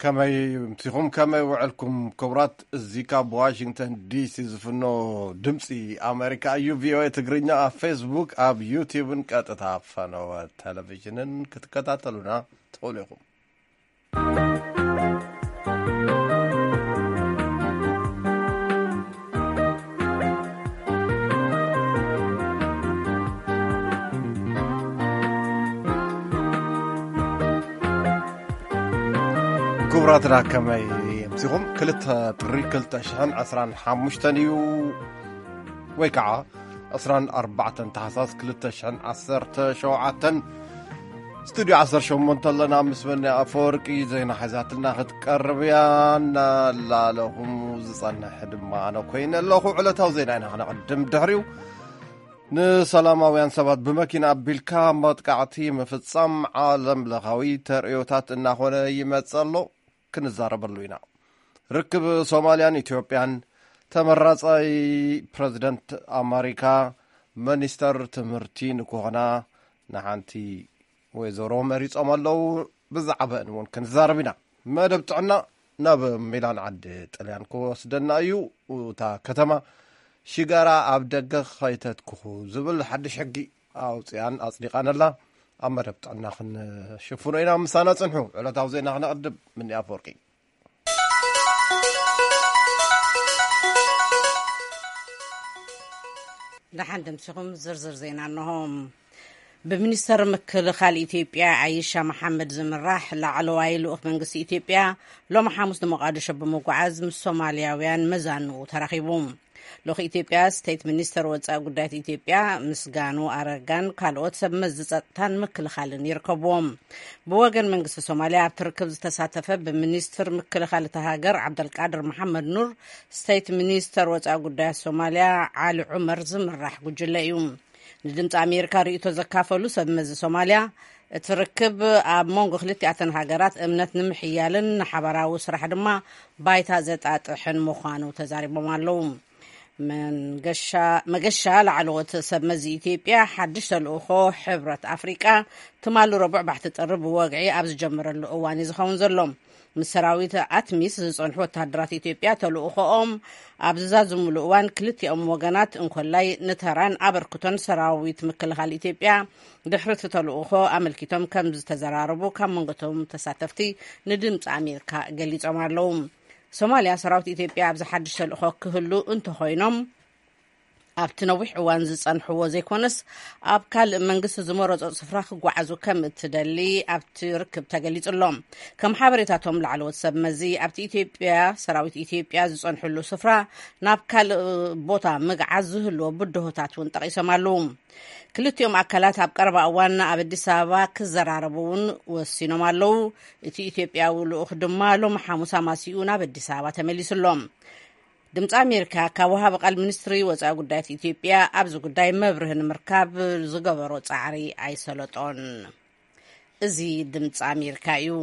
ከመይ ምሲኹም፣ ከመይ ውዕልኩም ክቡራት? እዚ ካብ ዋሽንግተን ዲሲ ዝፍኖ ድምፂ ኣሜሪካ እዩ። ቪኦኤ ትግርኛ ኣብ ፌስቡክ፣ ኣብ ዩቲዩብን ቀጥታ ፈነወ ቴሌቪዥንን ክትከታተሉና ትኽእሉ ኢኹም። ክቡራትና ከመይ ኣምሲኹም? ክልተ ጥሪ ክልተ ሽሕን ዕስራን ሓሙሽተን እዩ፣ ወይ ከዓ ዕስራን ኣርባዕተን ታሕሳስ ክልተ ሽሕን ዓሰርተ ሸውዓተን፣ ስቱድዮ ዓሰርተ ሸሞንተ ኣለና። ምስ መኒ ኣፈወርቂ ዜና ሒዛትልና ክትቀርብ እያ። እናላለኹም ዝጸንሕ ድማ ኣነ ኮይነ ኣለኹ። ዕለታዊ ዜና ኢና ክነቕድም። ድሕሪኡ ንሰላማውያን ሰባት ብመኪና ኣቢልካ መጥቃዕቲ ምፍጻም ዓለም ለኻዊ ተርእዮታት እናኾነ ይመጽእ ኣሎ። ክንዛረበሉ ኢና። ርክብ ሶማልያን ኢትዮጵያን፣ ተመራጻይ ፕረዚደንት ኣማሪካ፣ ሚኒስተር ትምህርቲ ንክኾና ንሓንቲ ወይዘሮ መሪጾም ኣለዉ። ብዛዕባአን እውን ክንዛረብ ኢና። መደብ ጥዕና ናብ ሚላን ዓዲ ጥልያን ክወስደና እዩ። እታ ከተማ ሽጋራ ኣብ ደገ ከይተትኩኹ ዝብል ሓድሽ ሕጊ ኣውፅኣን ኣፅዲቓን ኣላ። ኣብ መደብ ጥዕና ክንሽፍኖ ኢና። ምሳና ፅንሑ። ዕለታዊ ዜና ክነቕድም። ምኒ ኣፈወርቂ። ደሓን ደምሲኹም። ዝርዝር ዜና እንሆ። ብሚኒስተር ምክልኻል ኢትዮጵያ ኣይሻ መሓመድ ዝምራሕ ላዕለዋይ ልኡኽ መንግስቲ ኢትዮጵያ ሎሚ ሓሙስ ንሞቓዲሾ ብምጉዓዝ ምስ ሶማልያውያን መዛንኡ ተራኺቡ። ልኡኽ ኢትዮጵያ ስቴት ሚኒስተር ወጻኢ ጉዳያት ኢትዮጵያ ምስጋኑ ኣረጋን ካልኦት ሰብ መዚ ጸጥታን ምክልኻልን ይርከብዎም። ብወገን መንግስቲ ሶማልያ ኣብቲ ርክብ ዝተሳተፈ ብሚኒስትር ምክልኻል እታ ሃገር ዓብደልቃድር መሓመድ ኑር፣ ስቴት ሚኒስተር ወጻኢ ጉዳያት ሶማልያ ዓሊ ዑመር ዝምራሕ ጉጅለ እዩ። ንድምፂ ኣሜሪካ ርእይቶ ዘካፈሉ ሰብ መዚ ሶማልያ፣ እቲ ርክብ ኣብ መንጎ ክልቲኣተን ሃገራት እምነት ንምሕያልን ንሓበራዊ ስራሕ ድማ ባይታ ዘጣጥሕን ምዃኑ ተዛሪቦም ኣለዉ። መንገሻ መገሻ ላዕለዎት ሰብ መዚ ኢትዮጵያ ሓድሽ ተልእኾ ሕብረት ኣፍሪቃ ትማሊ ረቡዕ ባሕቲ ጥሪ ብወግዒ ኣብ ዝጀመረሉ እዋን እዩ ዝኸውን ዘሎ። ምስ ሰራዊት ኣትሚስ ዝጸንሑ ወተሃደራት ኢትዮጵያ ተልእኾኦም ኣብ ዝዛዝምሉ እዋን፣ ክልቲኦም ወገናት እንኮላይ ንተራን ኣበርክቶን ሰራዊት ምክልኻል ኢትዮጵያ ድሕሪ እቲ ተልእኾ ኣመልኪቶም ከም ዝተዘራረቡ ካብ መንጎቶም ተሳተፍቲ ንድምፂ ኣሜሪካ ገሊጾም ኣለዉ። ሶማልያ ሰራዊት ኢትዮጵያ ኣብዚ ሓድሽ ተልእኾ ክህሉ እንተኾይኖም፣ ኣብቲ ነዊሕ እዋን ዝጸንሕዎ ዘይኮነስ፣ ኣብ ካልእ መንግስቲ ዝመረጾ ስፍራ ክጓዓዙ ከም እትደሊ ኣብቲ ርክብ ተገሊጹ ኣሎ። ከም ሓበሬታቶም ላዕለዎት ሰብ መዚ፣ ኣብቲ ኢትዮጵያ ሰራዊት ኢትዮጵያ ዝጸንሕሉ ስፍራ ናብ ካልእ ቦታ ምግዓዝ ዝህልዎ ብድሆታት እውን ጠቒሶም ኣለዉ። ክልቲኦም ኣካላት ኣብ ቀረባ እዋን ኣብ ኣዲስ ኣበባ ክዘራረቡ እውን ወሲኖም ኣለዉ። እቲ ኢትዮጵያዊ ልኡኽ ድማ ሎሚ ሓሙስ ኣማሲኡ ናብ ኣዲስ ኣበባ ተመሊሱ ኣሎ። ድምፂ ኣሜሪካ ካብ ወሃቢ ቃል ሚኒስትሪ ወፃኢ ጉዳያት ኢትዮጵያ ኣብዚ ጉዳይ መብርሂ ንምርካብ ዝገበሮ ፃዕሪ ኣይሰለጦን። እዚ ድምፂ ኣሜሪካ እዩ።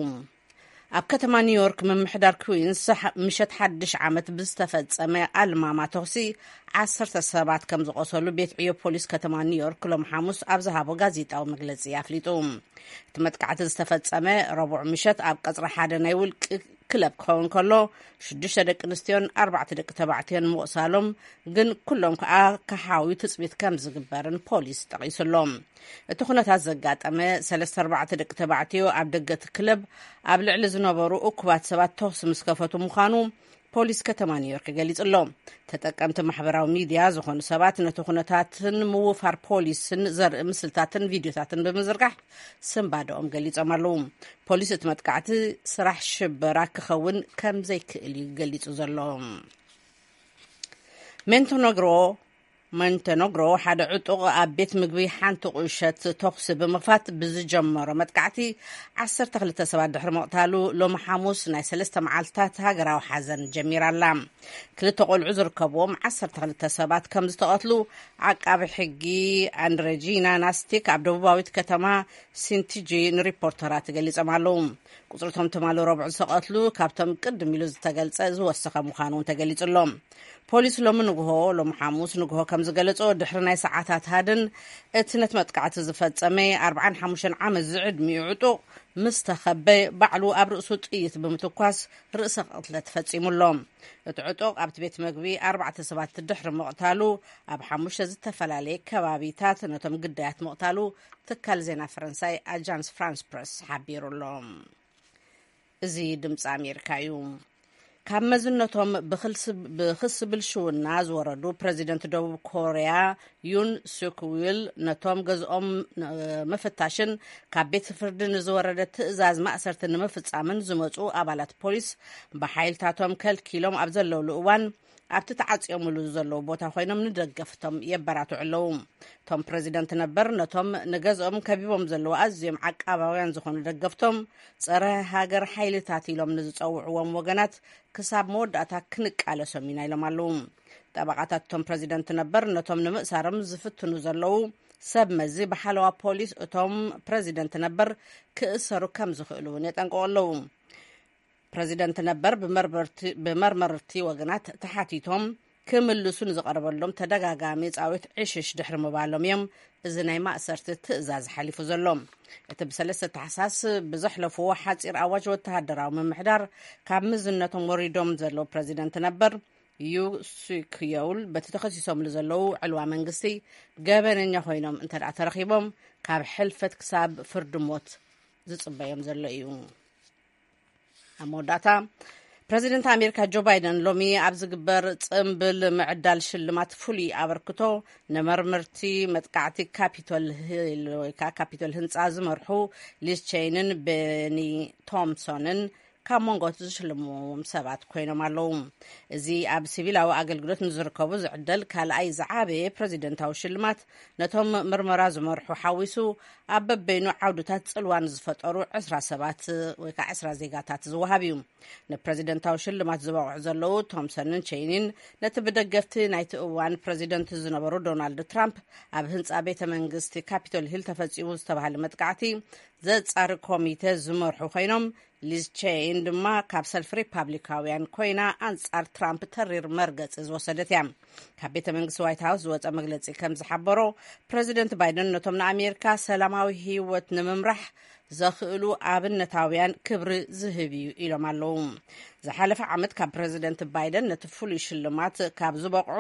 ኣብ ከተማ ኒውዮርክ ምምሕዳር ኩዊንስ ሓ-፣ ምሸት ሓድሽ ዓመት ብዝተፈጸመ ኣልማማ ተኹሲ ዓሰርተ ሰባት ከም ዝቖሰሉ ቤት ዕዮ ፖሊስ ከተማ ኒውዮርክ ሎም ሓሙስ ኣብ ዝሃቦ ጋዜጣዊ መግለጺ ኣፍሊጡ። እቲ መጥቃዕቲ ዝተፈጸመ ረቡዕ ምሸት ኣብ ቀጽሪ ሓደ ናይ ውልቂ ክለብ ክኸውን ከሎ፣ ሽዱሽተ ደቂ ኣንስትዮን ኣርባዕተ ደቂ ተባዕትዮን ምቑሳሎም፣ ግን ኩሎም ከኣ ክሓውዩ ትጽቢት ከም ዝግበርን ፖሊስ ጠቒሱ ኣሎ። እቲ ኩነታት ዘጋጠመ ሰለስተ ኣርባዕተ ደቂ ተባዕትዮ ኣብ ደገ እቲ ክለብ ኣብ ልዕሊ ዝነበሩ እኩባት ሰባት ተኹሲ ምስ ከፈቱ ምዃኑ ፖሊስ ከተማ ኒውዮርክ ገሊጹ ኣሎ። ተጠቀምቲ ማሕበራዊ ሚድያ ዝኾኑ ሰባት ነቲ ኩነታትን ምውፋር ፖሊስን ዘርኢ ምስልታትን ቪድዮታትን ብምዝርጋሕ ስንባደኦም ገሊጾም ኣለዉ። ፖሊስ እቲ መጥቃዕቲ ስራሕ ሽበራ ክኸውን ከም ዘይክእል እዩ ገሊጹ ዘሎ። ሜንቶነግሮ ሞንተነግሮ ሓደ ዕጡቕ ኣብ ቤት ምግቢ ሓንቲ ቁሸት ተኹሲ ብምኽፋት ብዝጀመሮ መጥቃዕቲ ዓሰርተ ክልተ ሰባት ድሕሪ ምቕታሉ፣ ሎሚ ሓሙስ ናይ ሰለስተ መዓልትታት ሃገራዊ ሓዘን ጀሚራ ኣላ። ክልተ ቆልዑ ዝርከብዎም ዓሰርተ ክልተ ሰባት ከም ዝተቐትሉ ዓቃቢ ሕጊ ኣንድረጂና ናስቲክ ኣብ ደቡባዊት ከተማ ሲንቲጂ ንሪፖርተራት ገሊጾም ኣለዉ። ቁጽሪ እቶም ትማሊ ረቡዕ ዝተቐትሉ ካብቶም ቅድም ኢሉ ዝተገልጸ ዝወሰኸ ምዃኑ እውን ተገሊጹ ኣሎ። ፖሊስ ሎሚ ንግሆ፣ ሎም ሓሙስ ንግሆ ከም ዝገለጾ፣ ድሕሪ ናይ ሰዓታት ሃድን፣ እቲ ነቲ መጥቃዕቲ ዝፈጸመ ኣርባዓን ሓሙሽተን ዓመት ዝዕድሚኡ ዕጡቕ ምስ ተኸበ፣ ባዕሉ ኣብ ርእሱ ጥይት ብምትኳስ ርእሰ ቅትለት ፈጺሙ ኣሎ። እቲ ዕጡቕ ኣብቲ ቤት መግቢ ኣርባዕተ ሰባት ድሕሪ ምቕታሉ፣ ኣብ ሓሙሽተ ዝተፈላለየ ከባቢታት ነቶም ግዳያት ምቕታሉ ትካል ዜና ፈረንሳይ ኣጃንስ ፍራንስ ፕረስ ሓቢሩ ኣሎ። እዚ ድምፂ ኣሜሪካ እዩ። ካብ መዝነቶም ብክልስ-፣ ብክሲ ብልሽውና ዝወረዱ ፕረዚደንት ደቡብ ኮርያ ዩን ሱክ ዊል፣ ነቶም ገዝኦም ን-፣ ምፍታሽን ካብ ቤት ፍርዲ ንዝወረደ ትእዛዝ ማእሰርቲ ንምፍጻምን ዝመጹ ኣባላት ፖሊስ ብሓይልታቶም ከልኪሎም ኣብ ዘለውሉ እዋን፣ ኣብቲ ተዓጽዮምሉ ዘለዉ ቦታ ኮይኖም ንደገፍቶም የበራትዑ ኣለዉ። እቶም ፕረዚደንት ነበር ነቶም ንገዝኦም ከቢቦም ዘለዉ ኣዝዮም ዓቃባውያን ዝኾኑ ደገፍቶም፣ ጸረ ሃገር ሓይልታት ኢሎም ንዝጸውዕዎም ወገናት ክሳብ መወዳእታ ክንቃለሶም ኢና ኢሎም ኣለዉ። ጠበቓታት እቶም ፕረዚደንት ነበር ነቶም ንምእሳሮም ዝፍትኑ ዘለዉ ሰብ መዚ ብሓለዋ ፖሊስ እቶም ፕረዚደንት ነበር ክእሰሩ ከም ዝኽእሉ እውን የጠንቅቑ ኣለዉ። ፕረዚደንት ነበር ብመርመርቲ-፣ ብመርመርቲ ወገናት ተሓቲቶም ክምልሱ ንዝቐረበሎም ተደጋጋሚ ጻዊት ዕሽሽ ድሕሪ ምባሎም እዮም እዚ ናይ ማእሰርቲ ትእዛዝ ሓሊፉ ዘሎ። እቲ ብሰለስተ ታሕሳስ ብዘሕለፍዎ ሓጺር ኣዋጅ ወተሃደራዊ ምምሕዳር ካብ ምዝነቶም ወሪዶም ዘለዉ ፕረዚደንት ነበር ዩ ሱክ የውል፣ በቲ ተኸሲሶምሉ ዘለዉ ዕልዋ መንግስቲ ገበነኛ ኮይኖም እንተ ደኣ ተረኺቦም፣ ካብ ሕልፈት ክሳብ ፍርዲ ሞት ዝጽበዮም ዘሎ እዩ። ኣብ መወዳእታ፣ ፕረዚደንት ኣሜሪካ ጆ ባይደን ሎሚ ኣብ ዝግበር ጽምብል ምዕዳል ሽልማት ፍሉይ ኣበርክቶ ንመርመርቲ መጥቃዕቲ ካፒቶል ሂል ወይ ከዓ ካፒቶል ህንፃ ዝመርሑ ሊዝ ቼይንን ቤኒ ቶምሶንን ካብ መንጎ ዝሽልምዎም ሰባት ኮይኖም ኣለዉ። እዚ ኣብ ሲቪላዊ ኣገልግሎት ንዝርከቡ ዝዕደል ካልኣይ ዝዓበየ ፕረዚደንታዊ ሽልማት፣ ነቶም ምርመራ ዝመርሑ ሓዊሱ፣ ኣብ በበይኑ ዓውድታት ጽልዋ ንዝፈጠሩ ዕስራ ሰባት ወይ ከዓ ዕስራ ዜጋታት ዝወሃብ እዩ። ንፕረዚደንታዊ ሽልማት ዝበቕዑ ዘለዉ ቶምሰንን ቼይኒን፣ ነቲ ብደገፍቲ ናይቲ እዋን ፕረዚደንት ዝነበሩ ዶናልድ ትራምፕ ኣብ ህንጻ ቤተ መንግስቲ ካፒቶል ሂል ተፈጺሙ ዝተባህለ መጥቃዕቲ ዘጻሪ ኮሚተ ዝመርሑ ኮይኖም፣ ሊዝ ቼይን ድማ ካብ ሰልፊ ሪፓብሊካውያን ኮይና ኣንጻር ትራምፕ ተሪር መርገጺ ዝወሰደት እያ። ካብ ቤተ መንግስቲ ዋይት ሃውስ ዝወጸ መግለጺ ከም ዝሓበሮ፣ ፕረዚደንት ባይደን ነቶም ንኣሜሪካ ሰላማዊ ህይወት ንምምራሕ ዘኽእሉ ኣብነታውያን ክብሪ ዝህብ እዩ ኢሎም ኣለዉ። ዝሓለፈ ዓመት ካብ ፕረዚደንት ባይደን ነቲ ፍሉይ ሽልማት ካብ ዝበቕዑ፣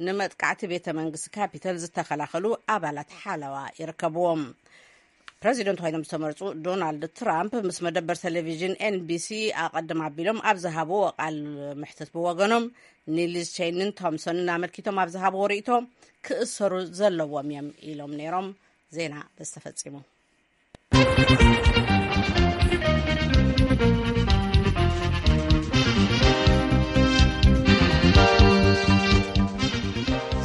ንመጥቃዕቲ ቤተ መንግስቲ ካፒተል ዝተኸላኸሉ ኣባላት ሓለዋ ይርከብዎም። ፕረዚደንት ኮይኖም ዝተመርጹ ዶናልድ ትራምፕ ምስ መደበር ቴሌቪዥን ኤንቢሲ ኣቐድም ኣቢሎም ኣብ ዝሃብዎ ቃል ምሕትት ብወገኖም፣ ንሊዝ ቼይንን ቶምሶንን ኣመልኪቶም ኣብ ዝሃብዎ ርእይቶ፣ ክእሰሩ ዘለዎም እዮም ኢሎም ነይሮም። ዜና በዚ ተፈጺሙ።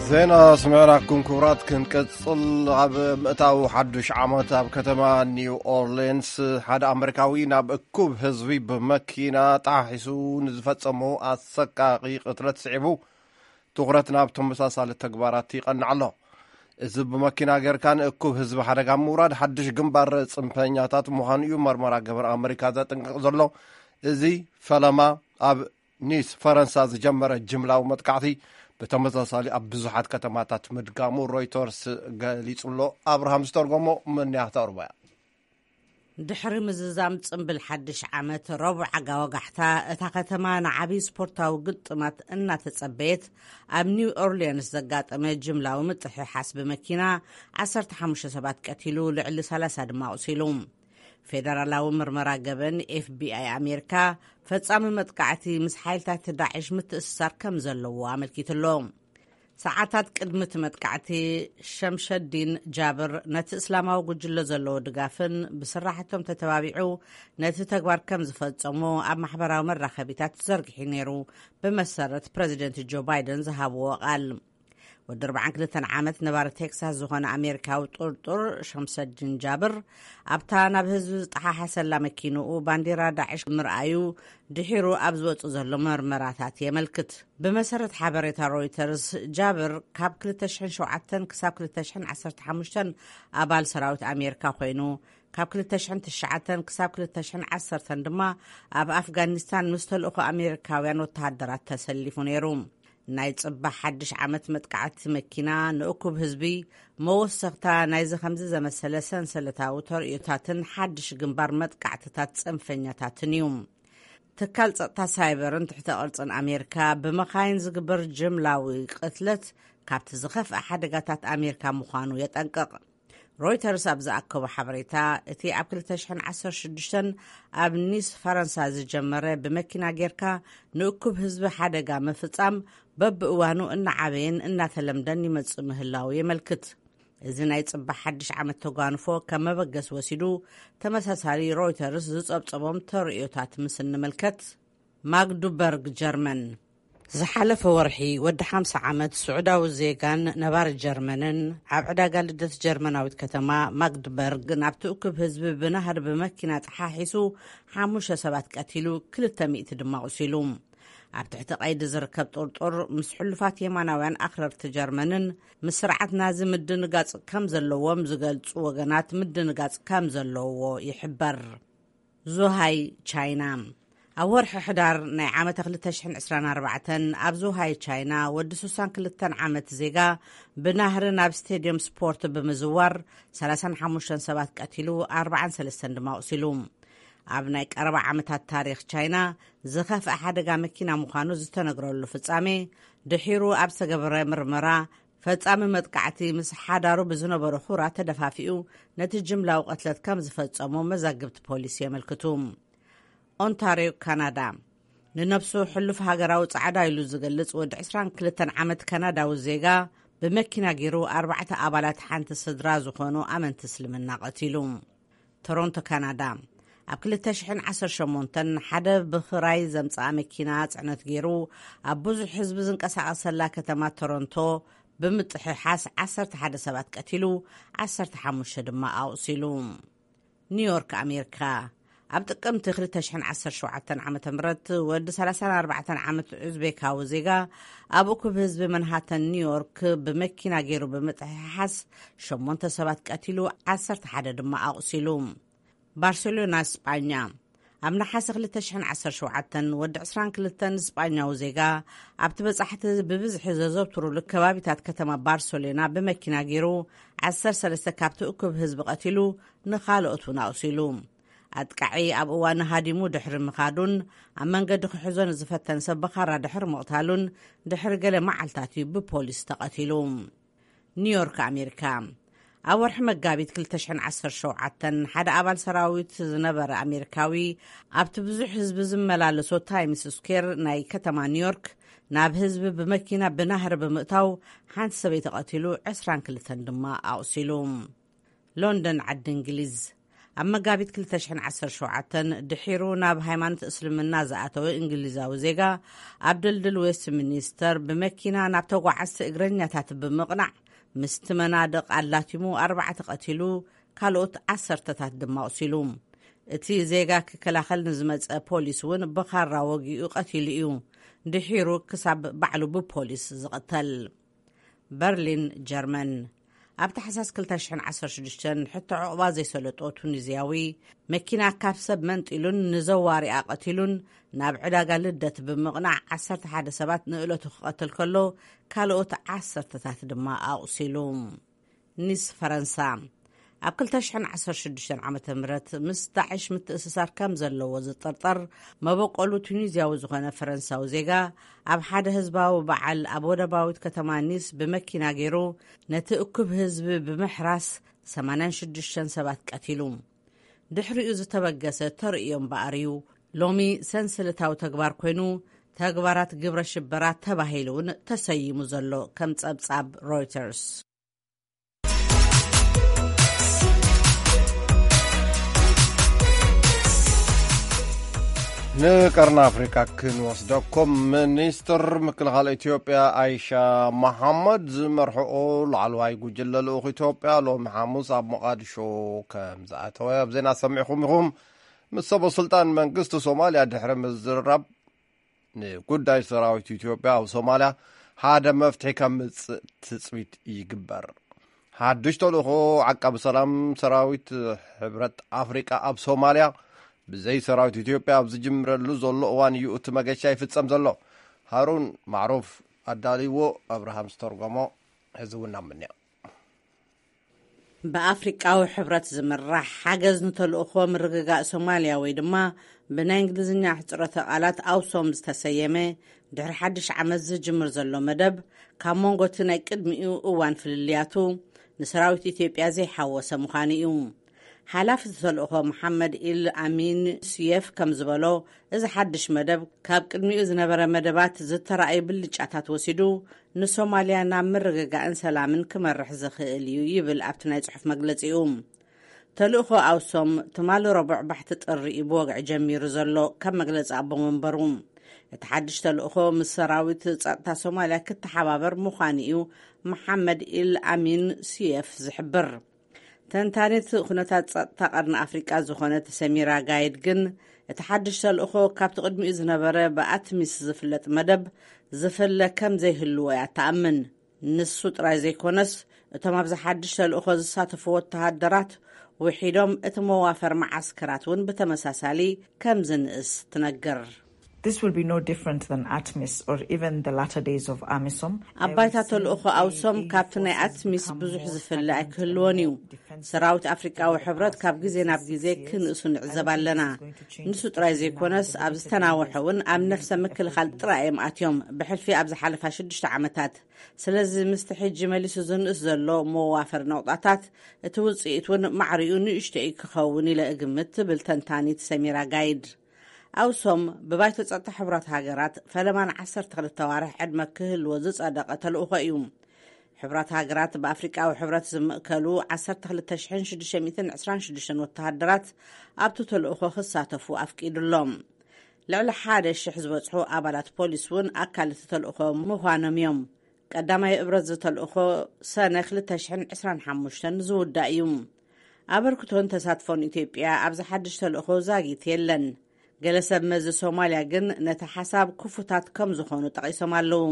ዜና ስምዕናኩም ክቡራት። ክንቅጽል፣ ኣብ ምእታው ሓዱሽ ዓመት ኣብ ከተማ ኒው ኦርሊንስ ሓደ ኣመሪካዊ ናብ እኩብ ህዝቢ ብመኪና ጣሒሱ ንዝፈጸሞ ኣሰቃቒ ቅትለት ስዒቡ ትኹረት ናብ ተመሳሳሊ ተግባራት ይቐንዕ ኣሎ። እዚ ብመኪና ጌርካ ንእኩብ ህዝቢ ሓደጋ ምውራድ ሓድሽ ግንባር ጽንፈኛታት ምዃኑ እዩ መርመራ ገበር ኣመሪካ ዘጥንቅቕ ዘሎ። እዚ ፈለማ ኣብ ኒስ ፈረንሳ ዝጀመረ ጅምላዊ መጥቃዕቲ ብተመሳሳሊ ኣብ ብዙሓት ከተማታት ምድጋሙ ሮይተርስ ገሊጹ ኣሎ። ኣብርሃም ዝተርጎሞ፣ መን እያ ክተቕርቦ እያ። ድሕሪ ምዝዛም ጽምብል ሓድሽ ዓመት፣ ረቡዕ ኣጋ ወጋሕታ፣ እታ ከተማ ንዓብዪ ስፖርታዊ ግጥማት እናተጸበየት፣ ኣብ ኒው ኦርሊንስ ዘጋጠመ ጅምላዊ ምጥሕሓስ ብመኪና ዓሰርተ ሓሙሽተ ሰባት ቀቲሉ፣ ልዕሊ ሰላሳ ድማ ኣቑሲሉ። ፌደራላዊ ምርመራ ገበን፣ ኤፍቢኣይ ኣሜሪካ፣ ፈጻሚ መጥቃዕቲ ምስ ሓይልታት ዳዕሽ ምትእስሳር ከም ዘለዎ ኣመልኪቱ ኣሎ። ሰዓታት ቅድሚ እቲ መጥቃዕቲ፣ ሸምሸዲን ጃብር ነቲ እስላማዊ ጉጅለ ዘለዎ ድጋፍን ብስራሕቶም ተተባቢዑ ነቲ ተግባር ከም ዝፈጸሞ ኣብ ማሕበራዊ መራኸቢታት ዘርጊሑ ነይሩ፣ ብመሰረት ፕረዚደንት ጆ ባይደን ዝሃብዎ ቃል። ወዲ ኣርባዓን ክልተን ዓመት ነባሪ ቴክሳስ ዝኾነ ኣሜሪካዊ ጥርጡር ሸምሰዲን ጃብር፣ ኣብታ ናብ ህዝቢ ዝጠሓሓሰላ መኪንኡ ባንዲራ ዳዕሽ ምርኣዩ ድሒሩ ኣብ ዝወጽእ ዘሎ መርመራታት የመልክት። ብመሰረት ሓበሬታ ሮይተርስ፣ ጃብር ካብ ክልተ ሽሕን ሸውዓተን ክሳብ ክልተ ሽሕን ዓሰርተ ሓሙሽተን ኣባል ሰራዊት ኣሜሪካ ኮይኑ፣ ካብ ክልተ ሽሕን ትሽዓተን ክሳብ ክልተ ሽሕን ዓሰርተን ድማ ኣብ ኣፍጋኒስታን ምስ ተልእኾ ኣሜሪካውያን ወተሃደራት ተሰሊፉ ነይሩ። ናይ ጽባሕ ሓድሽ ዓመት መጥቃዕቲ መኪና ንእኩብ ህዝቢ መወሰኽታ ናይዚ ከምዚ ዘመሰለ ሰንሰለታዊ ተርእዮታትን ሓድሽ ግንባር መጥቃዕትታት ጽንፈኛታትን እዩ። ትካል ጸጥታ ሳይበርን ትሕተ ቅርጽን ኣሜሪካ፣ ብመኻይን ዝግበር ጅምላዊ ቅትለት ካብቲ ዝኸፍአ ሓደጋታት ኣሜሪካ ምዃኑ የጠንቅቕ። ሮይተርስ ኣብ ዝኣከቦ ሓበሬታ፣ እቲ ኣብ ክልተ ሽሕን ዓሰርተ ሽዱሽተን ኣብ ኒስ ፈረንሳ ዝጀመረ ብመኪና ጌርካ ንእኩብ ህዝቢ ሓደጋ ምፍጻም በብእዋኑ እናዓበየን እናተለምደን ይመጽእ ምህላው የመልክት። እዚ ናይ ጽባሕ ሓድሽ ዓመት ተጓንፎ ከም መበገስ ወሲዱ፣ ተመሳሳሊ ሮይተርስ ዝጸብጸቦም ተርእዮታት ምስ እንምልከት፣ ማግዱበርግ ጀርመን። ዝሓለፈ ወርሒ ወዲ ሓምሳ ዓመት ስዑዳዊ ዜጋን ነባሪ ጀርመንን፣ ኣብ ዕዳጋ ልደት ጀርመናዊት ከተማ ማግድበርግ፣ ናብቲ እኩብ ህዝቢ ብናህሪ ብመኪና ጠሓሒሱ ሓሙሽተ ሰባት ቀቲሉ፣ ክልተ ሚእቲ ድማ ኣቑሲሉ። ኣብ ትሕቲ ቀይዲ ዝርከብ ጥርጡር ምስ ሕሉፋት የማናውያን ኣኽረርቲ ጀርመንን ምስ ስርዓት ናዚ ምድንጋጽ ከም ዘለዎም ዝገልጹ ወገናት ምድንጋጽ ከም ዘለዎ ይሕበር። ዙሃይ ቻይና። ኣብ ወርሒ ሕዳር ናይ ዓመተ ክልተ ሽሕን ዕስራን ኣርባዕተን ኣብ ዙሃይ ቻይና ወዲ ሱሳን ክልተን ዓመት ዜጋ ብናህሪ ናብ ስቴድየም ስፖርት ብምዝዋር ሰላሳን ሓሙሽተን ሰባት ቀቲሉ፣ ኣርባዓን ሰለስተን ድማ ኣቑሲሉ። ኣብ ናይ ቀረባ ዓመታት ታሪኽ ቻይና ዝኸፍአ ሓደጋ መኪና ምዃኑ ዝተነግረሉ ፍጻሜ፣ ድሒሩ ኣብ ዝተገበረ ምርመራ፣ ፈጻሚ መጥቃዕቲ ምስ ሓዳሩ ብዝነበሩ ሑራ ተደፋፊኡ ነቲ ጅምላዊ ቅትለት ከም ዝፈጸሞ መዛግብቲ ፖሊስ የመልክቱ። ኦንታርዮ ካናዳ። ንነብሱ ሕሉፍ ሃገራዊ ጻዕዳ ኢሉ ዝገልጽ ወዲ ዕስራን ክልተን ዓመት ካናዳዊ ዜጋ፣ ብመኪና ገይሩ ኣርባዕተ ኣባላት ሓንቲ ስድራ ዝኾኑ ኣመንቲ እስልምና ቀቲሉ። ቶሮንቶ ካናዳ። ኣብ ክልተ ሽሕን ዓሰርተ ሸሞንተን ሓደ ብኽራይ ዘምጽኣ መኪና ጽዕነት ገይሩ ኣብ ብዙሕ ህዝቢ ዝንቀሳቐሰላ ከተማ ቶሮንቶ ብምጥሕሓስ ዓሰርተ ሓደ ሰባት ቀቲሉ፣ ዓሰርተ ሓሙሽተ ድማ ኣቑሲሉ። ኒውዮርክ ኣሜሪካ። ኣብ ጥቅምቲ ክልተ ሽሕን ዓሰርተ ሸውዓተን ዓመተ ምህረት ወዲ ሰላሳን ኣርባዕተን ዓመት ኡዝቤካዊ ዜጋ ኣብ እኩብ ህዝቢ መንሃተን ኒውዮርክ ብመኪና ገይሩ ብምጥሕሓስ ሸሞንተ ሰባት ቀቲሉ፣ ዓሰርተ ሓደ ድማ ኣቑሲሉ። ባርሴሎና ስጳኛ። ኣብ ነሓሰ ክልተ ሽሕን ዓሰርተ ሸውዓተን ወዲ ዕስራን ክልተን ስጳኛዊ ዜጋ ኣብቲ በጻሕቲ ብብዝሒ ዘዘውትሩሉ ከባቢታት ከተማ ባርሴሎና ብመኪና ገይሩ ዓሰርተ ሰለስተ ካብቲ እኩብ ህዝቢ ቀቲሉ፣ ንኻልኦት እውን ኣቑሲሉ። ኣጥቃዒ ኣብ እዋን ሃዲሙ ድሕሪ ምኻዱን ኣብ መንገዲ ክሕዞ ንዝፈተን ሰብ ብኻራ ድሕሪ ምቕታሉን ድሕሪ ገለ መዓልታት እዩ ብፖሊስ ተቐቲሉ። ኒውዮርክ ኣሜሪካ። ኣብ ወርሒ መጋቢት ክልተ ሽሕን ዓሰርተ ሸውዓተን ሓደ ኣባል ሰራዊት ዝነበረ ኣሜሪካዊ ኣብቲ ብዙሕ ህዝቢ ዝመላለሶ ታይምስ ስኩዌር ናይ ከተማ ኒውዮርክ ናብ ህዝቢ ብመኪና ብናህሪ ብምእታው ሓንቲ ሰበይቲ ቀቲሉ፣ ዕስራን ክልተን ድማ ኣቑሲሉ። ሎንደን ዓዲ እንግሊዝ። ኣብ መጋቢት ክልተ ሽሕን ዓሰርተ ሸውዓተን ድሒሩ ናብ ሃይማኖት እስልምና ዝኣተወ እንግሊዛዊ ዜጋ ኣብ ድልድል ዌስት ሚኒስተር ብመኪና ናብ ተጓዓዝቲ እግረኛታት ብምቕናዕ ምስቲ መናድቕ ኣላቲሙ ኣርባዕተ ቀቲሉ፣ ካልኦት ዓሰርተታት ድማ ኣቑሲሉ። እቲ ዜጋ ክከላኸል ንዝመጸ ፖሊስ እውን ብኻራ ወጊኡ ቀቲሉ እዩ። ድሒሩ ክሳብ ባዕሉ ብፖሊስ ዝቕተል። በርሊን ጀርመን። ኣብ ታሕሳስ ክልተ ሽሕን ዓሰርተ ሽዱሽተን ሕቶ ዕቑባ ዘይሰለጦ ቱኒዝያዊ መኪና ካብ ሰብ መንጢሉን ንዘዋሪኣ ቀቲሉን ናብ ዕዳጋ ልደት ብምቕናዕ ዓሰርተ ሓደ ሰባት ንእለቱ ክቐትል ከሎ ካልኦት ዓሰርተታት ድማ ኣቑሲሉ። ኒስ ፈረንሳ። ኣብ ክልተ ሽሕን ዓሰርተ ሽዱሽተን ዓመተ ምህረት ምስ ዳዕሽ ምትእስሳር ከም ዘለዎ ዝጥርጠር መበቆሉ ቱኒዝያዊ ዝኾነ ፈረንሳዊ ዜጋ ኣብ ሓደ ህዝባዊ በዓል ኣብ ወደባዊት ከተማ ኒስ ብመኪና ገይሩ ነቲ እኩብ ህዝቢ ብምሕራስ ሰማንያን ሽዱሽተን ሰባት ቀቲሉ። ድሕሪኡ ዝተበገሰ ተርእዮ እምበኣር እዩ ሎሚ ሰንሰለታዊ ተግባር ኮይኑ ተግባራት ግብረ ሽበራ ተባሂሉ እውን ተሰይሙ ዘሎ፣ ከም ጸብጻብ ሮይተርስ። ንቀርኒ ኣፍሪካ ክንወስደኩም። ሚኒስትር ምክልኻል ኢትዮጵያ ኣይሻ መሓመድ ዝመርሕኦ ላዕለዋይ ጉጅለ ልኡኽ ኢትዮጵያ ሎሚ ሓሙስ ኣብ ሞቓዲሾ ከም ዝኣተወ ኣብ ዜና ሰሚዕኹም ኢኹም። ምስ ሰበ ስልጣን መንግስቲ ሶማልያ ድሕሪ ምዝርራብ፣ ንጉዳይ ሰራዊት ኢትዮጵያ ኣብ ሶማልያ ሓደ መፍትሒ ከምጽእ ትጽቢት ይግበር። ሓድሽ ተልእኾ ዓቃቢ ሰላም ሰራዊት ሕብረት ኣፍሪቃ ኣብ ሶማልያ ብዘይ ሰራዊት ኢትዮጵያ ኣብ ዝጅምረሉ ዘሎ እዋን እዩ እቲ መገሻ ይፍጸም ዘሎ። ሃሩን ማዕሩፍ ኣዳልይዎ፣ ኣብርሃም ዝተርጎሞ፣ ሕዚ እውን ናብ ምንያ። ብኣፍሪቃዊ ሕብረት ዝምራሕ ሓገዝ ንተልእኾ ምርግጋእ ሶማልያ ወይ ድማ ብናይ እንግሊዝኛ ሕጽረተ ቃላት ኣውሶም ዝተሰየመ ድሕሪ ሓድሽ ዓመት ዝጅምር ዘሎ መደብ፣ ካብ መንጎ እቲ ናይ ቅድሚኡ እዋን ፍልልያቱ፣ ንሰራዊት ኢትዮጵያ ዘይሓወሰ ምዃኑ እዩ። ሓላፊ እቲ ተልእኾ መሓመድ ኢል ኣሚን ሱየፍ ከም ዝበሎ፣ እዚ ሓድሽ መደብ ካብ ቅድሚኡ ዝነበረ መደባት ዝተራእዩ ብልጫታት ወሲዱ፣ ንሶማልያ ናብ ምርግጋእን ሰላምን ክመርሕ ዝኽእል እዩ ይብል ኣብቲ ናይ ጽሑፍ መግለጺኡ። ተልእኾ ኣውሶም ትማሊ ረቡዕ ባሕቲ ጥሪ እዩ ብወግዒ ጀሚሩ ዘሎ ካብ መግለጺ ኣቦ መንበሩ። እቲ ሓድሽ ተልእኾ ምስ ሰራዊት ጸጥታ ሶማልያ ክተሓባበር ምዃኑ እዩ መሓመድ ኢል ኣሚን ሱየፍ ዝሕብር። ተንታኒት ኩነታት ጸጥታ ቀርኒ ኣፍሪቃ ዝኾነት ሰሚራ ጋይድ ግን፣ እቲ ሓድሽ ተልእኾ ካብቲ ቅድሚኡ ዝነበረ ብኣትሚስ ዝፍለጥ መደብ ዝፍለ ከም ዘይህልዎ እያ ትኣምን። ንሱ ጥራይ ዘይኮነስ፣ እቶም ኣብዚ ሓድሽ ተልእኾ ዝሳተፉ ወተሃደራት ውሒዶም፣ እቲ መዋፈር መዓስከራት እውን ብተመሳሳሊ ከም ዝንእስ ትነግር። This will be no different than atmis or even the latter days of amisom. ኣብ ባይታ ተልእኾ ኣውሶም ካብቲ ናይ ኣትሚስ ብዙሕ ዝፍለ ኣይክህልዎን እዩ። ሰራዊት ኣፍሪቃዊ ሕብረት ካብ ግዜ ናብ ግዜ ክንእሱ ንዕዘብ ኣለና። ንሱ ጥራይ ዘይኮነስ፣ ኣብ ዝተናውሐ እውን ኣብ ነፍሰ ምክልኻል ጥራይ እዮም ኣትዮም። ብሕልፊ ኣብ ዝሓለፋ ሽዱሽተ ዓመታት። ስለዚ ምስቲ ሕጂ መሊሱ ዝንእስ ዘሎ መዋፈር ነቑጣታት፣ እቲ ውጽኢት እውን ማዕሪኡ ንእሽቶ እዩ ክኸውን ኢለ እግምት፣ ትብል ተንታኒት ሰሚራ ጋይድ። ኣውሶም ብባይቶ ጸጥታ ሕቡራት ሃገራት ፈለማ ን ዓሰርተ ክልተ ኣዋርሕ ዕድመ ክህልዎ ዝጸደቐ ተልእኾ እዩ። ሕቡራት ሃገራት ብኣፍሪቃዊ ሕብረት ዝምእከሉ ዓሰርተ ክልተ ሽሕን ሽዱሽተ ሚእትን ዕስራን ሽዱሽተን ወተሃደራት ኣብቲ ተልእኾ ክሳተፉ ኣፍቂዱሎም። ልዕሊ ሓደ ሽሕ ዝበጽሑ ኣባላት ፖሊስ እውን ኣካል እቲ ተልእኾ ምዃኖም እዮም። ቀዳማይ እብረት ዝተልእኾ ሰነ ክልተ ሽሕን ዕስራን ሓሙሽተን ዝውዳእ እዩ። ኣበርክቶን ተሳትፎን ኢትዮጵያ ኣብዚ ሓድሽ ተልእኾ ዛጊት የለን። ገለ ሰብ መዚ ሶማልያ ግን ነቲ ሓሳብ ክፉታት ከም ዝኾኑ ጠቒሶም ኣለዉ።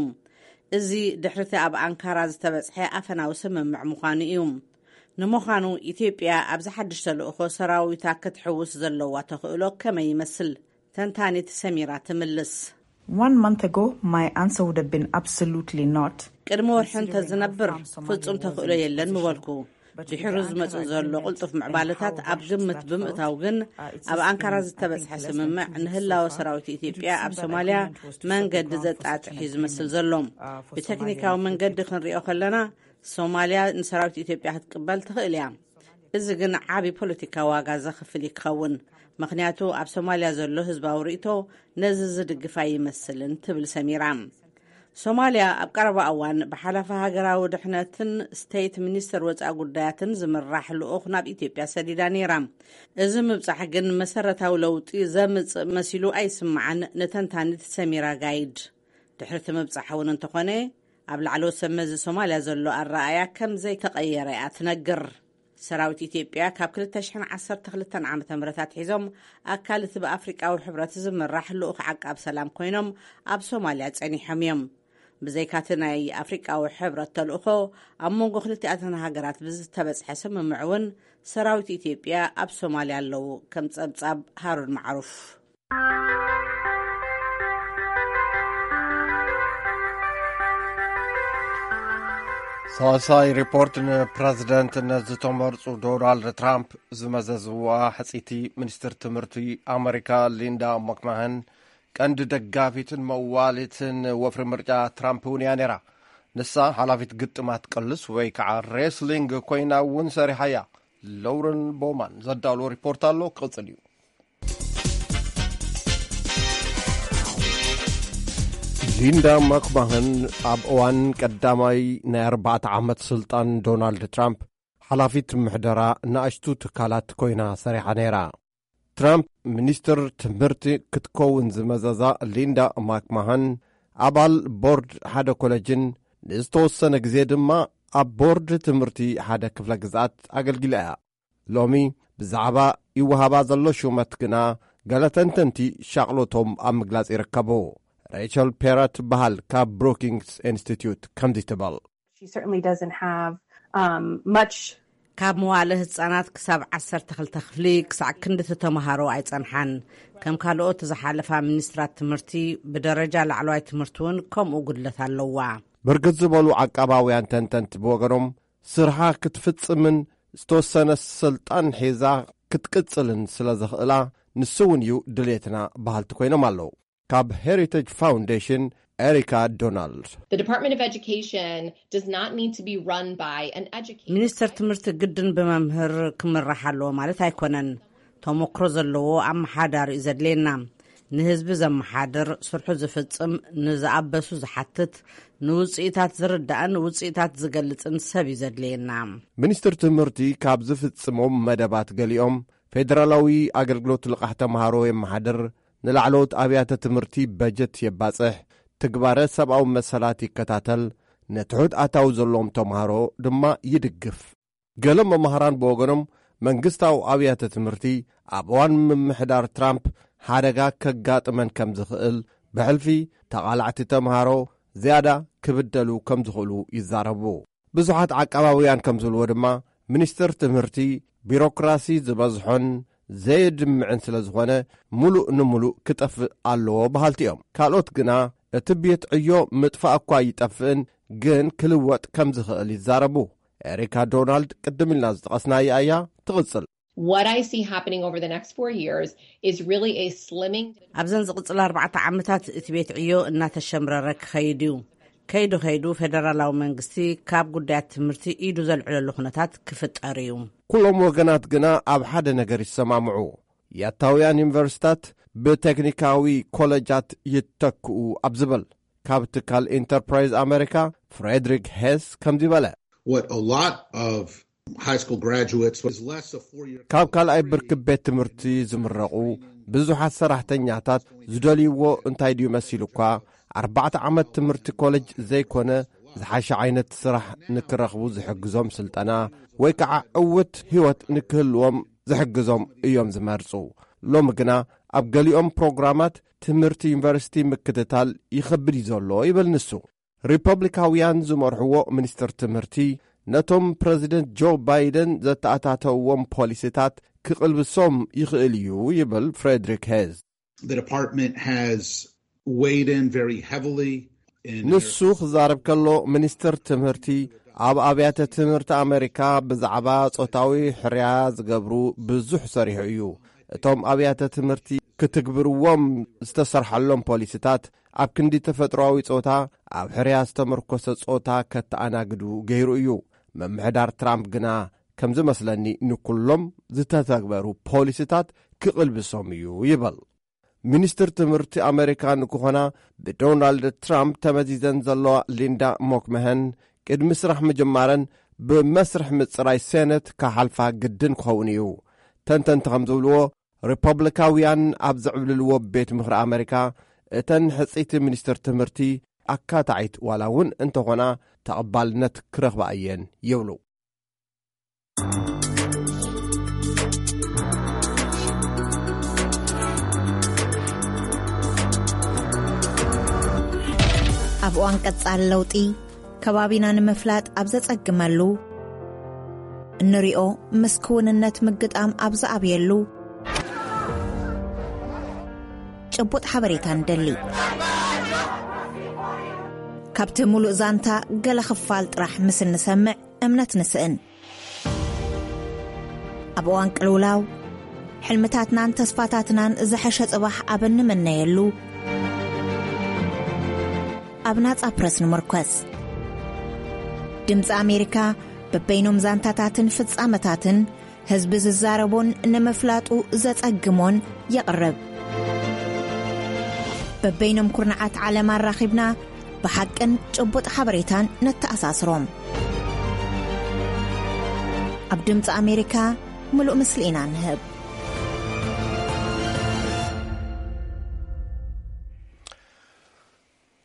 እዚ ድሕሪቲ ኣብ ኣንካራ ዝተበጽሐ ኣፈናዊ ስምምዕ ምዃኑ እዩ። ንምዃኑ፣ ኢትዮጵያ ኣብዚ ሓድሽ ተልእኾ ሰራዊታ ክትሕውስ ዘለዋ ተኽእሎ ከመይ ይመስል? ተንታኒት ሰሚራ ትምልስ። One month ago, my answer would have been absolutely not. ቅድሚ ወርሒ እንተ ዝነብር፣ ፍጹም ተኽእሎ የለን ምበልኩ። ድሒሩ ዝመጽእ ዘሎ ቅልጡፍ ምዕባለታት ኣብ ግምት ብምእታው ግን፣ ኣብ ኣንካራ ዝተበጽሐ ስምምዕ ንህላወ ሰራዊት ኢትዮጵያ ኣብ ሶማልያ መንገዲ ዘጣጥሕ እዩ ዝመስል ዘሎ። ብቴክኒካዊ መንገዲ ክንሪኦ ከለና፣ ሶማልያ ንሰራዊት ኢትዮጵያ ክትቅበል ትኽእል እያ። እዚ ግን ዓቢ ፖለቲካዊ ዋጋ ዘኽፍል እዩ ክኸውን፣ ምኽንያቱ ኣብ ሶማልያ ዘሎ ህዝባዊ ርእይቶ ነዚ ዝድግፍ ኣይመስልን፣ ትብል ሰሚራ። ሶማልያ ኣብ ቀረባ እዋን ብሓላፊ ሃገራዊ ድሕነትን ስቴት ሚኒስተር ወጻኢ ጉዳያትን ዝምራሕ ልኡኽ ናብ ኢትዮጵያ ሰዲዳ ነይራ። እዚ ምብጻሕ ግን መሰረታዊ ለውጢ ዘምጽእ መሲሉ ኣይስምዓን፣ ንተንታኒት ሰሚራ ጋይድ። ድሕሪ እቲ ምብጻሕ እውን እንተኾነ፣ ኣብ ላዕለዎት ሰብ መዚ ሶማልያ ዘሎ ኣረኣእያ ከም ዘይተቐየረ እያ ትነግር። ሰራዊት ኢትዮጵያ ካብ ክልተ ሽሕን ዓሰርተ ክልተን ዓመተ ምህረት ኣትሒዞም ኣካል እቲ ብኣፍሪቃዊ ሕብረት ዝምራሕ ልኡኽ ዓቃብ ሰላም ኮይኖም ኣብ ሶማልያ ጸኒሖም እዮም። ብዘይካቲ ናይ ኣፍሪቃዊ ሕብረት ተልእኾ፣ ኣብ መንጎ ክልቲኣተን ሃገራት ብዝተበጽሐ ስምምዕ እውን ሰራዊት ኢትዮጵያ ኣብ ሶማልያ ኣለዉ። ከም ጸብጻብ ሃሩን ማዕሩፍ። ሳልሳይ ሪፖርት፣ ንፕረዚደንትነት ዝተመርጹ ዶናልድ ትራምፕ ዝመዘዝዋ ሕጽይቲ ሚኒስትር ትምህርቲ ኣመሪካ ሊንዳ ማክማህን ቀንዲ ደጋፊትን መዋሊትን ወፍሪ ምርጫ ትራምፕ እውን እያ ነይራ። ንሳ ሓላፊት ግጥማት ቅልስ ወይ ከዓ ሬስሊንግ ኮይና እውን ሰሪሓ እያ። ሎረን ቦማን ዘዳሎ ሪፖርት ኣሎ፣ ክቕጽል እዩ። ሊንዳ ማክማህን ኣብ እዋን ቀዳማይ ናይ ኣርባዕተ ዓመት ስልጣን ዶናልድ ትራምፕ ሓላፊት ምሕደራ ንኣሽቱ ትካላት ኮይና ሰሪሓ ነይራ። ትራምፕ ሚኒስትር ትምህርቲ ክትከውን ዝመዘዛ ሊንዳ ማክማሃን፣ ኣባል ቦርድ ሓደ ኮለጅን ንዝተወሰነ ግዜ ድማ ኣብ ቦርድ ትምህርቲ ሓደ ክፍለ ግዝኣት ኣገልጊላ እያ። ሎሚ ብዛዕባ ይወሃባ ዘሎ ሹመት ግና፣ ገለ ተንተንቲ ሻቕሎቶም ኣብ ምግላጽ ይርከቡ። ሬቸል ፔራ ትበሃል፣ ካብ ብሩኪንግስ ኢንስቲትዩት ከምዚ ትብል። She certainly doesn't have, um, much ካብ መዋለ ህጻናት ክሳብ ዓሰርተ ክልተ ክፍሊ ክሳዕ ክንድቲ ተምሃሮ ኣይጸንሓን። ከም ካልኦት ዝሓለፋ ሚኒስትራት ትምህርቲ፣ ብደረጃ ላዕለዋይ ትምህርቲ እውን ከምኡ ጉድለት ኣለዋ። ብርግጽ ዝበሉ ዓቃባውያን ተንተንቲ ብወገኖም፣ ስርሓ ክትፍጽምን ዝተወሰነ ስልጣን ሒዛ ክትቅጽልን ስለ ዘኽእላ፣ ንሱ እውን እዩ ድሌትና በሃልቲ ኮይኖም ኣለዉ። ካብ ሄሪቴጅ ፋውንዴሽን፣ ኤሪካ ዶናልድ። The Department of Education does not need to be run by an educator. ሚኒስተር ትምህርቲ ግድን ብመምህር ክምራሕ ኣለዎ ማለት ኣይኮነን። ተሞክሮ ዘለዎ ኣመሓዳሪ እዩ ዘድልየና። ንህዝቢ ዘመሓድር፣ ስርሑ ዝፍጽም፣ ንዝኣበሱ ዝሓትት፣ ንውጽኢታት ዝርዳእን ውጽኢታት ዝገልጽን ሰብ እዩ ዘድልየና። ሚኒስትር ትምህርቲ ካብ ዝፍጽሞም መደባት ገሊኦም፣ ፌደራላዊ ኣገልግሎት ልቓሕ ተምሃሮ የመሓድር፣ ንላዕለዎት ኣብያተ ትምህርቲ በጀት የባጽሕ፣ ትግባረ ሰብኣዊ መሰላት ይከታተል፣ ንትሑት ኣታዊ ዘለዎም ተምሃሮ ድማ ይድግፍ። ገለ መማህራን ብወገኖም፣ መንግስታዊ ኣብያተ ትምህርቲ ኣብ እዋን ምምሕዳር ትራምፕ ሓደጋ ከጋጥመን ከም ዝኽእል፣ ብሕልፊ ተቓላዕቲ ተምሃሮ ዝያዳ ክብደሉ ከም ዝኽእሉ ይዛረቡ። ብዙሓት ዓቃባውያን ከም ዝብልዎ ድማ፣ ሚኒስትር ትምህርቲ ቢሮክራሲ ዝበዝሖን ዘየድምዕን ስለ ዝኾነ፣ ሙሉእ ንሙሉእ ክጠፍእ ኣለዎ በሃልቲ እዮም። ካልኦት ግና፣ እቲ ቤት ዕዮ ምጥፋእ እኳ ይጠፍእን፣ ግን ክልወጥ ከም ዝኽእል ይዛረቡ። ኤሪካ ዶናልድ ቅድም ኢልና ዝጠቐስናያ እያ ትቕጽል። What I see happening over the next four years is really a slimming። ኣብዘን ዝቕጽል ኣርባዕተ ዓመታት እቲ ቤት ዕዮ እናተሸምረረ ክኸይድ እዩ። ከይዱ ከይዱ ፌደራላዊ መንግስቲ ካብ ጉዳያት ትምህርቲ ኢዱ ዘልዕለሉ ኩነታት ክፍጠር እዩ። ኩሎም ወገናት ግና ኣብ ሓደ ነገር ይሰማምዑ። ያታውያን ዩኒቨርሲታት ብቴክኒካዊ ኮለጃት ይተክኡ ኣብ ዝብል፣ ካብ ትካል ኢንተርፕራይዝ ኣሜሪካ ፍሬድሪክ ሄስ ከምዚ በለ። What a lot of high school graduates is less a four year ካብ ካልኣይ ብርኪ ቤት ትምህርቲ ዝምረቑ ብዙሓት ሰራሕተኛታት ዝደልይዎ እንታይ ድዩ መሲሉ እኳ፣ ኣርባዕተ ዓመት ትምህርቲ ኮሌጅ ዘይኮነ፣ ዝሓሸ ዓይነት ስራሕ ንክረኽቡ ዝሕግዞም ስልጠና ወይ ከዓ ዕውት ህይወት ንክህልዎም ዝሕግዞም እዮም ዝመርጹ። ሎሚ ግና ኣብ ገሊኦም ፕሮግራማት ትምህርቲ ዩኒቨርሲቲ ምክትታል ይኸብድ እዩ ዘሎ ይብል ንሱ። ሪፐብሊካውያን ዝመርሕዎ ሚኒስትር ትምህርቲ፣ ነቶም ፕረዚደንት ጆ ባይደን ዘተኣታተውዎም ፖሊሲታት ክቕልብሶም ይኽእል እዩ ይብል ፍሬድሪክ ሄዝ። The department has weighed in very heavily in ንሱ ክዛረብ ከሎ፣ ሚኒስትር ትምህርቲ ኣብ ኣብያተ ትምህርቲ ኣሜሪካ ብዛዕባ ጾታዊ ሕርያ ዝገብሩ ብዙሕ ሰሪሑ እዩ። እቶም ኣብያተ ትምህርቲ ክትግብርዎም ዝተሰርሐሎም ፖሊሲታት፣ ኣብ ክንዲ ተፈጥሮኣዊ ጾታ፣ ኣብ ሕርያ ዝተመርኮሰ ጾታ ከተኣናግዱ ገይሩ እዩ። ምምሕዳር ትራምፕ ግና፣ ከም ዝመስለኒ፣ ንኩሎም ዝተተግበሩ ፖሊሲታት ክቕልብሶም እዩ ይብል። ሚኒስትር ትምህርቲ ኣሜሪካ ንክኾና ብዶናልድ ትራምፕ ተመዚዘን ዘለዋ ሊንዳ ሞክመሀን፣ ቅድሚ ስራሕ ምጅማረን ብመስርሕ ምጽራይ ሴነት ክሓልፋ ግድን ክኸውን እዩ። ተንተንቲ ከም ዝብልዎ፣ ሪፐብሊካውያን ኣብ ዝዕብልልዎ ቤት ምኽሪ ኣሜሪካ፣ እተን ሕጽይቲ ሚኒስትር ትምህርቲ ኣካታዒት ዋላ እውን እንተኾና፣ ተቐባልነት ክረኽባ እየን ይብሉ። ኣብ እዋን ቀጻሊ ለውጢ፣ ከባቢና ንምፍላጥ ኣብ ዘጸግመሉ፣ እንሪኦ ምስ ክውንነት ምግጣም ኣብ ዝኣብየሉ፣ ጭቡጥ ሓበሬታ ንደሊ። ካብቲ ሙሉእ ዛንታ ገለ ክፋል ጥራሕ ምስ እንሰምዕ እምነት ንስእን። ኣብ እዋን ቅልውላው፣ ሕልምታትናን ተስፋታትናን ዝሐሸ ጽባሕ ኣብ እንምነየሉ፣ ኣብ ናጻ ፕረስ ንምርኮስ። ድምጺ ኣሜሪካ በበይኖም ዛንታታትን ፍጻመታትን ህዝቢ ዝዛረቦን ንምፍላጡ ዘጸግሞን የቕርብ። በበይኖም ኩርናዓት ዓለም ኣራኺብና ብሓቅን ጭቡጥ ሓበሬታን ነተኣሳስሮም። ኣብ ድምጺ ኣሜሪካ ምሉእ ምስሊ ኢና ንህብ።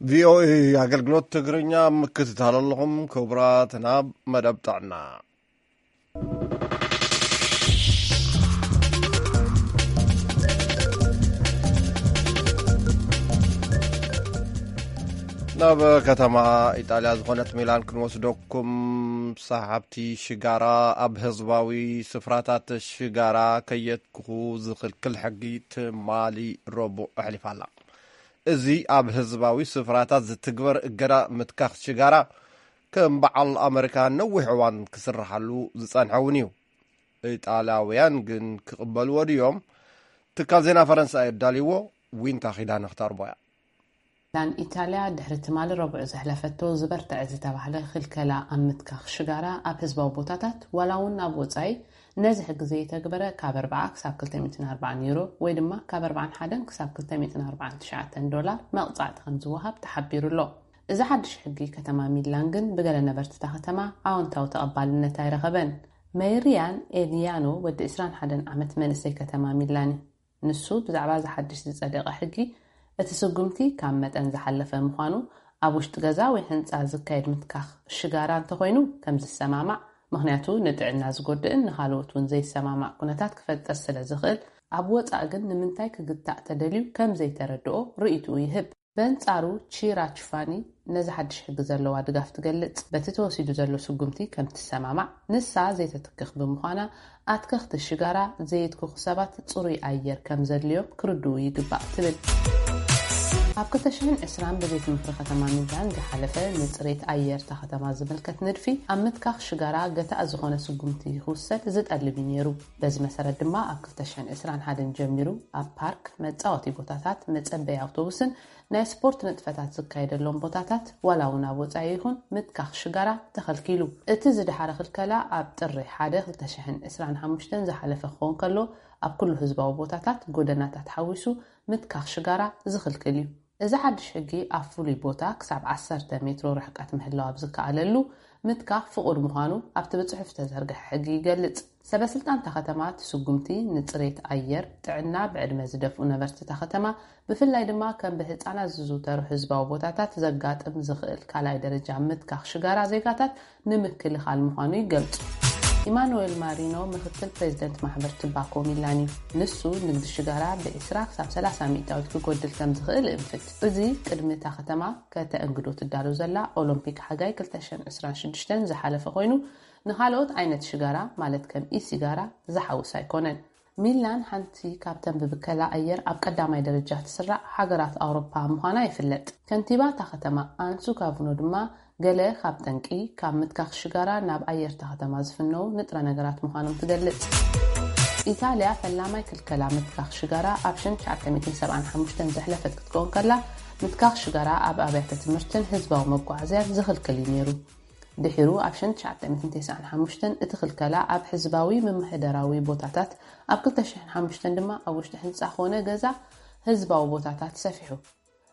ቪኦኤ ኣገልግሎት ትግርኛ ምክትታል ኣለኹም ክቡራት። ናብ መደብ ጥዕና። ናብ ከተማ ኢጣልያ ዝኾነት ሚላን ክንወስደኩም። ሰሓብቲ ሽጋራ ኣብ ህዝባዊ ስፍራታት ሽጋራ ከየትክኹ ዝኽልክል ሕጊ ትማሊ ረቡዕ ኣሕሊፋ ኣላ። እዚ ኣብ ህዝባዊ ስፍራታት ዝትግበር እገዳ ምትካኽ ሽጋራ ከም በዓል ኣመሪካ ነዊሕ እዋን ክስርሓሉ ዝጸንሐ እውን እዩ። ኢጣልያውያን ግን ክቕበልዎ ድዮም? ትካል ዜና ፈረንሳ የዳልይዎ። ዊንታ ኺዳነ ክተቕርቦ እያ። ሚላን ኢጣልያ ድሕሪ ትማሊ ረቡዕ ዘሕለፈቶ ዝበርትዐ ዝተባህለ ክልከላ ኣብ ምትካኽ ሽጋራ ኣብ ህዝባዊ ቦታታት ዋላ እውን ኣብ ወጻኢ ነዚ ሕጊ ዘይተግበረ ካብ ኣርባዓ ክሳብ ክልተ ሚእትን ኣርባዓን ዩሮ ወይ ድማ ካብ ኣርባዓን ሓደን ክሳብ ክልተ ሚእትን ኣርባዓን ትሽዓተን ዶላር መቕጻዕቲ ከም ዝወሃብ ተሓቢሩ ኣሎ። እዚ ሓድሽ ሕጊ ከተማ ሚላን ግን ብገለ ነበርቲ እታ ከተማ ኣወንታዊ ተቐባልነት ኣይረኸበን። መይር ሪያን ኤሊያኖ ወዲ ዕስራን ሓደን ዓመት መንእሰይ ከተማ ሚላን እዩ። ንሱ ብዛዕባ እዚ ሓድሽ ዝጸደቐ ሕጊ እቲ ስጉምቲ ካብ መጠን ዝሓለፈ ምዃኑ ኣብ ውሽጢ ገዛ ወይ ህንጻ ዝካየድ ምትካኽ ሽጋራ እንተኾይኑ ከም ዝሰማማዕ፣ ምኽንያቱ ንጥዕና ዝጎድእን ንኻልኦት እውን ዘይሰማማዕ ኩነታት ክፈጥር ስለ ዝኽእል፣ ኣብ ወጻኢ ግን ንምንታይ ክግታእ ተደልዩ ከም ዘይተረድኦ ርእይትኡ ይህብ። በንጻሩ ቺራ ቹፋኒ ነዚ ሓድሽ ሕጊ ዘለዋ ድጋፍ ትገልጽ። በቲ ተወሲዱ ዘሎ ስጉምቲ ከም ትሰማማዕ፣ ንሳ ዘይተትክኽ ብምዃና ኣትከኽቲ ሽጋራ ዘየትክኹ ሰባት ጽሩይ ኣየር ከም ዘድልዮም ክርድኡ ይግባእ ትብል። ኣብ ክልተ ሽሕን ዕስራን ብቤት ምኽሪ ከተማ ሚላን ዝሓለፈ ንጽሬት ኣየር እታ ከተማ ዝምልከት ንድፊ ኣብ ምትካኽ ሽጋራ ገታእ ዝኾነ ስጉምቲ ክውሰድ ዝጠልብ እዩ ነይሩ። በዚ መሰረት ድማ ኣብ ክልተ ሽሕን ዕስራን ሓደን ጀሚሩ ኣብ ፓርክ፣ መጻወቲ ቦታታት፣ መጸበዪ ኣውቶቡስን ናይ ስፖርት ንጥፈታት ዝካየደሎም ቦታታት ዋላ እውን ኣብ ወጻኢ ይኹን ምትካኽ ሽጋራ ተኸልኪሉ። እቲ ዝደሓረ ክልከላ ኣብ ጥሪ ሓደ ክልተ ሽሕን ዕስራን ሓሙሽተን ዝሓለፈ ክኸውን ከሎ ኣብ ኩሉ ህዝባዊ ቦታታት ጎደናታት ሓዊሱ ምትካኽ ሽጋራ ዝኽልክል እዩ። እዚ ሓድሽ ሕጊ ኣብ ፍሉይ ቦታ ክሳብ ዓሰርተ ሜትሮ ርሕቀት ምህላው ኣብ ዝከኣለሉ ምትካኽ ፍቑድ ምዃኑ ኣብቲ ብጽሑፍ ዝተዘርግሐ ሕጊ ይገልጽ። ሰበ ስልጣን እታ ከተማ እቲ ስጉምቲ ንጽሬት ኣየር፣ ጥዕና ብዕድመ ዝደፍኡ ነበርቲ እታ ከተማ ብፍላይ ድማ ከም ብህጻናት ዝዝውተሩ ህዝባዊ ቦታታት ዘጋጥም ዝኽእል ካልኣይ ደረጃ ምትካኽ ሽጋራ ዜጋታት ንምክልኻል ምዃኑ ይገልጹ። ኢማኑኤል ማሪኖ ምክትል ፕሬዚደንት ማሕበር ትባኮ ሚላን እዩ። ንሱ ንግዲ ሽጋራ ብ20 ክሳብ 30 ሚእታዊት ክጎድል ከም ዝኽእል እእንፍት። እዚ ቅድሚ እታ ከተማ ከተእንግዶ ትዳሎ ዘላ ኦሎምፒክ ሓጋይ ክልተ ሽሕን ዕስራን ሽዱሽተን ዝሓለፈ ኮይኑ ንኻልኦት ዓይነት ሽጋራ ማለት ከም ኢሲጋራ ዝሓውስ ኣይኮነን። ሚላን ሓንቲ ካብተን ብብከላ ኣየር ኣብ ቀዳማይ ደረጃ ትስራዕ ሃገራት ኣውሮፓ ምዃና ይፍለጥ። ከንቲባ እታ ከተማ ኣንሱ ካቭኖ ድማ ገለ ካብ ጠንቂ ካብ ምትካኽ ሽጋራ ናብ ኣየር እታ ከተማ ዝፍነው ንጥረ ነገራት ምዃኖም ትገልጽ። ኢጣልያ ፈላማይ ክልከላ ምትካኽ ሽጋራ ኣብ ሽሕን ትሽዓተ ሚእትን ሰብዓን ሓሙሽተን ዘሕለፈት ክትከውን ከላ ምትካኽ ሽጋራ ኣብ ኣብያተ ትምህርትን ህዝባዊ መጓዓዝያን ዝኽልክል እዩ ነይሩ። ድሒሩ ኣብ ሽሕን ትሽዓተ ሚእትን ተስዓን ሓሙሽተን እቲ ክልከላ ኣብ ህዝባዊ ምምሕዳራዊ ቦታታት፣ ኣብ ክልተ ሽሕን ሓሙሽተን ድማ ኣብ ውሽጢ ህንጻ ኮነ ገዛ ህዝባዊ ቦታታት ሰፊሑ።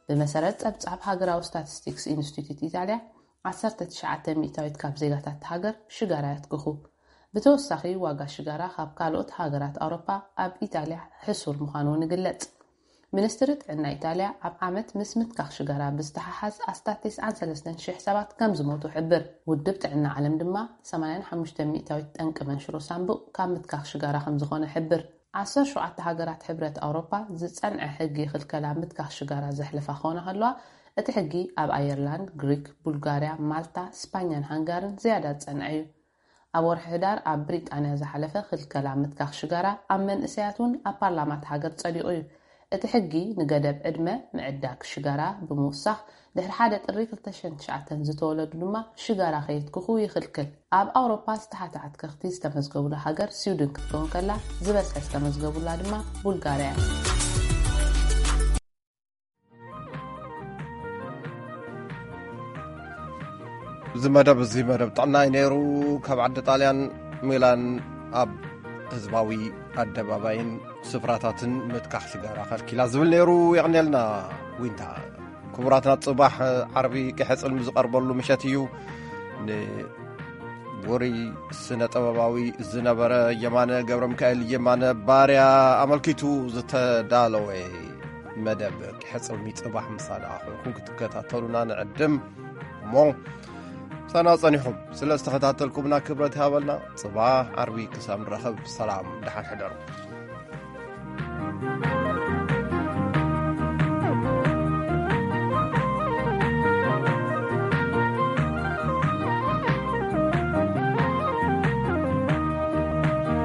ብመሰረት ጸብጻብ ሃገራዊ ስታቲስቲክስ ኢንስቲትዩት ኢጣልያ፣ ዓሰርተ ትሽዓተ ሚእታዊት ካብ ዜጋታት እታ ሃገር ሽጋራ የትክኹ። ብተወሳኺ ዋጋ ሽጋራ ካብ ካልኦት ሃገራት ኣውሮፓ ኣብ ኢጣልያ ሕሱር ምዃኑ እውን ይግለጽ። ሚኒስትሪ ጥዕና ኢጣልያ ኣብ ዓመት ምስ ምትካኽ ሽጋራ ብዝተሓሓዝ ኣስታት ተስዓን ሰለስተን ሽሕ ሰባት ከም ዝሞቱ ሕብር። ውድብ ጥዕና ዓለም ድማ ሰማንያን ሓሙሽተ ሚእታዊት ጠንቂ መንሽሮ ሳንቡእ ካብ ምትካኽ ሽጋራ ከም ዝኾነ ሕብር። ዓሰርተ ሸውዓተ ሃገራት ሕብረት ኣውሮፓ ዝጸንዐ ሕጊ ክልከላ ምትካኽ ሽጋራ ዘሕልፋ ክኾና ከለዋ፣ እቲ ሕጊ ኣብ ኣየርላንድ፣ ግሪክ፣ ቡልጋርያ፣ ማልታ፣ ስፓኛን ሃንጋርን ዝያዳ ዝጸንዐ እዩ። ኣብ ወርሒ ሕዳር ኣብ ብሪጣንያ ዝሓለፈ ክልከላ ምትካኽ ሽጋራ ኣብ መንእሰያት እውን ኣብ ፓርላማ እታ ሃገር ጸዲቑ እዩ። እቲ ሕጊ ንገደብ ዕድመ ምዕዳግ ሽጋራ ብምውሳኽ ድሕሪ ሓደ ጥሪ ክልተ ሽሕን ትሽዓተን ዝተወለዱ ድማ ሽጋራ ከየትክኹ ይኽልክል። ኣብ ኣውሮፓ ዝተሓተ ኣትከኽቲ ዝተመዝገቡላ ሃገር ስዊድን ክትከውን ከላ፣ ዝበዝሐ ዝተመዝገቡላ ድማ ቡልጋርያ እያ። እዚ መደብ እዚ መደብ ጥዕና እዩ ነይሩ። ካብ ዓዲ ጣልያን ሚላን ኣብ ህዝባዊ ኣደባባይን ስፍራታትን ምትካኽ ሽጋራ ከልኪላ ዝብል ነይሩ። የቕንየልና ዊንታ። ክቡራትና፣ ጽባሕ ዓርቢ ቅሐጽን ዝቐርበሉ ምሸት እዩ። ንውሩይ ስነ ጥበባዊ ዝነበረ የማነ ገብረ ሚካኤል፣ የማነ ባርያ፣ ኣመልኪቱ ዝተዳለወ መደብ ቅሐጽልሚ ጽባሕ ምሳና ኮይንኩም ክትከታተሉና ንዕድም። እሞ ምሳና ጸኒኹም ስለ ዝተኸታተልኩምና ክብረት ይሃበልና። ጽባሕ ዓርቢ ክሳብ ንራኸብ ሰላም፣ ደሓን ሕደሩ።